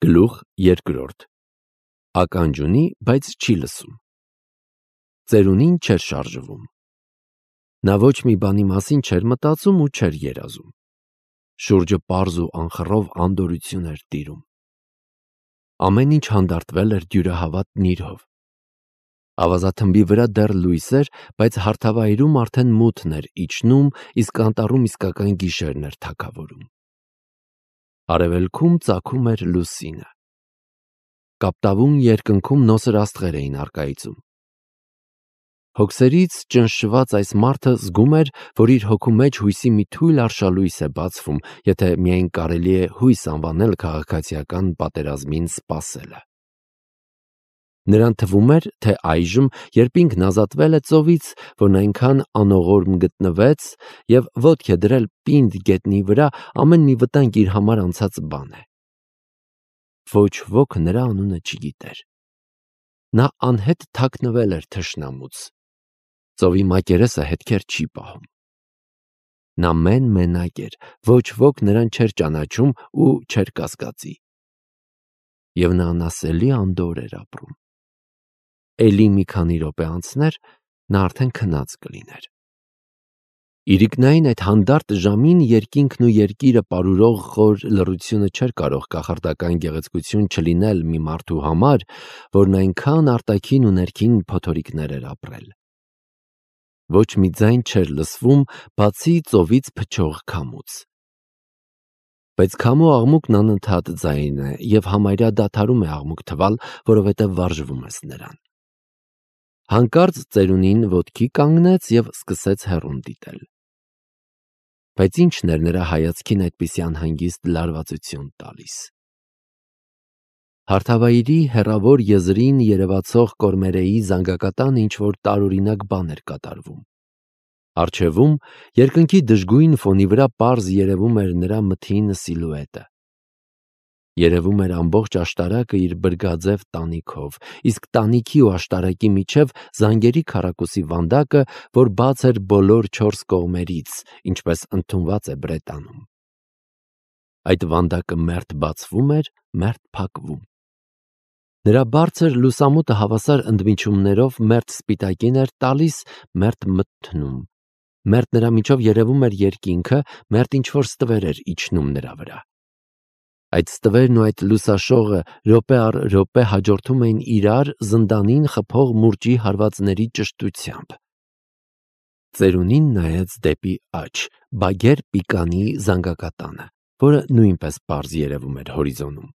Գլուխ երկրորդ Ականջ ունի, բայց չի լսում։ Ծերունին չէր շարժվում։ Նա ոչ մի բանի մասին չէր մտածում ու չէր երազում։ Շուրջը պարզ ու անխռով անդորություն էր տիրում։ Ամեն ինչ հանդարտվել էր դյուրահավատ նիրհով։ Ավազաթմբի վրա դեռ լույս էր, բայց հարթավայրում արդեն մութն էր իջնում, իսկ անտառում իսկական գիշերն էր թագավորում։ Արևելքում ծագում էր լուսինը։ Կապտավուն երկնքում նոսր աստղեր էին առկայծում։ Հոգսերից ճնշված այս մարդը զգում էր, որ իր հոգու մեջ հույսի մի թույլ արշալույս է բացվում, եթե միայն կարելի է հույս անվանել քաղաքացիական պատերազմին սպասելը։ Նրան թվում էր, թե այժմ, երբ ինքն ազատվել է ծովից, որն այնքան անողորմ գտնվեց և ոտք է դրել պինդ գետնի վրա, ամեն մի վտանգ իր համար անցած բան է։ Ոչ ոք նրա անունը չգիտեր։ Նա անհետ թաքնվել էր թշնամուց։ Ծովի մակերեսը հետքեր չի պահում։ Նա մենակ էր, ոչ ոք նրան չէր ճանաչում ու չէր կասկածի։ Եվ նա անասելի անդորր էր ապրում։ Էլի մի քանի րոպե անցներ, նա արդեն քնած կլիներ։ Իրիկնային այդ հանդարտ ժամին երկինքն ու երկիրը պարուրող խոր լռությունը չէր կարող կախարդական գեղեցկություն չլինել մի մարդու համար, որն այնքան արտաքին ու ներքին փոթորիկներ էր ապրել։ Ոչ մի ձայն չէր լսվում, բացի ծովից փչող քամուց։ Բայց քամու աղմուկն անընդհատ ձայն է և համարյա դադարում է աղմուկ թվալ, որովհետև վարժվում ես նրան։ Հանկարծ ծերունին ոտքի կանգնեց և սկսեց հեռուն դիտել։ Բայց ի՞նչն էր նրա հայացքին այդպիսի անհանգիստ լարվածություն տալիս։ Հարթավայրի հեռավոր եզրին երևացող կորմերեի զանգակատանը ինչ-որ տարօրինակ բան էր կատարվում։ Առջևում, երկնքի դժգույն ֆոնի վրա պարզ երևում էր նրա մթին սիլուետը։ Երևում էր ամբողջ աշտարակը իր բրգաձև տանիքով, իսկ տանիքի ու աշտարակի միջև զանգերի քառակուսի վանդակը, որ բաց էր բոլոր 4 կողմերից, ինչպես ընդունված է Բրետանում։ Այդ վանդակը մերթ բացվում էր, մերթ փակվում։ Նրա բարձր լուսամուտը հավասար ընդմիջումներով մերթ սպիտակին էր տալիս, մերթ մթնում, մերթ նրա միջով երևում էր երկինքը, մերթ ինչ-որ ստվեր էր իջնում նրա վրա։ Այդ ստվերն ու այդ լուսաշողը րոպե առ րոպե հաջորդում էին իրար զնդանին խփող մուրճի հարվածների ճշտությամբ։ Ծերունին նայեց դեպի աջ, բագեր պիկանի զանգակատանը, որը նույնպես պարզ երևում էր հորիզոնում։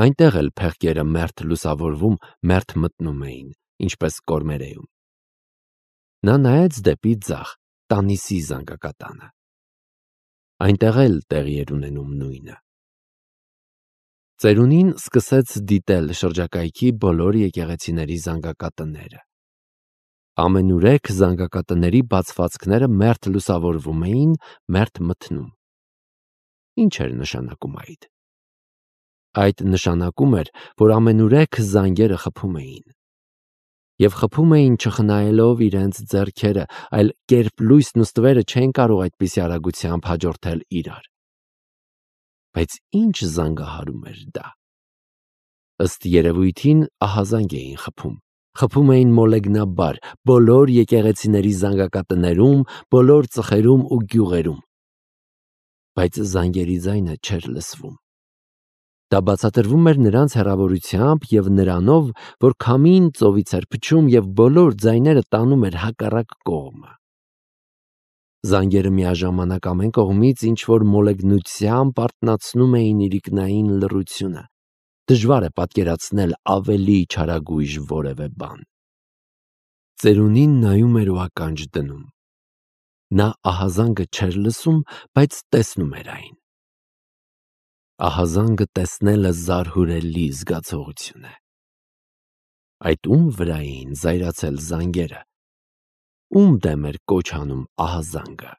Այնտեղ էլ փեղկերը մերթ լուսավորվում, մերթ մթնում էին, ինչպես կորմերեում։ Նա նայեց դեպի ձախ, Տանիսի զանգակատանը։ Այնտեղ էլ տեղի էր ունենում նույնը։ Ծերունին սկսեց դիտել շրջակայքի բոլոր եկեղեցիների զանգակատները։ Ամենուրեք զանգակատների բացվածքները մերթ լուսավորվում էին, մերթ մթնում։ Ինչ էր նշանակում այդ։ Այդ նշանակում էր, որ ամենուրեք զանգերը խփում էին։ Եվ խփում էին չխնայելով իրենց ձեռքերը, այլ կերպ լույսն ու ստվերը չէին կարող այդպիսի արագությամբ հաջորդել իրար։ Բայց ինչ զանգահարում էր դա։ Ըստ երևույթին ահազանգ էին խփում։ Խփում էին մոլեգնաբար, բոլոր եկեղեցիների զանգակատներում, բոլոր ծխերում ու գյուղերում։ Բայց զանգերի ձայնը չէր լսվում։ Դա բացատրվում էր նրանց հեռավորությամբ և նրանով, որ քամին ծովից էր փչում և բոլոր ձայները տանում էր հակառակ կողմը։ Զանգերը միաժամանակ ամեն կողմից ինչ-որ մոլեգնությամբ արթնացնում էին իրիկնային լռությունը։ Դժվար է պատկերացնել ավելի չարագույժ որևէ բան։ Ծերունին նայում էր ու ականջ դնում։ Նա ահազանգը չէր լսում, բայց տեսնում էր այն։ Ահազանգը տեսնելը զարհուրելի զգացողություն է։ Այդ ում վրա էին զայրացել զանգերը։ Ում դեմ էր կոչ անում ահազանգը։